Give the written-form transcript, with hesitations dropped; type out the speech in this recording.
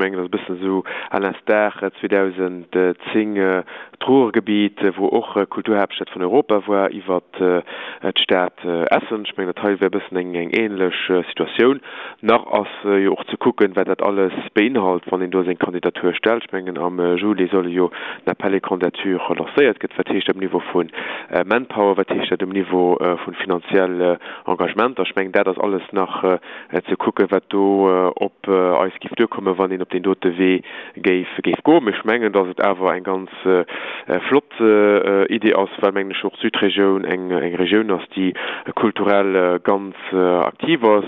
mengen, dat ass e bëssen esou à l'instar 2010 d'Ruhrgebiet, wou och Kulturhaaptstad vun Europa war, iwwert d'Stad Essen. Ech mengen, dat hei wär e bëssen eng ähnlech Situatioun. Nach ass jo och ze kucken, wat dat alles beinhalt, wann een do seng Kandidatur stellt. Ech mengen, am Juli solle jo den Appel à candidatures lancéiert gëtt. Wat heescht dat um Niveau vu Manpower? Wat heescht dat um Niveau vu finanziell Engagementer? Ech mengen, dat ass alles nach ze kucken, wat do op eis géif duerkommen, wann een op deen dote Wee géif goen. Mee ech mengen, datt et awer eng ganz flott Idee ass, well, mengen ech, och d'Südregioun eng Regioun ass, déi kulturell ganz aktiv ass.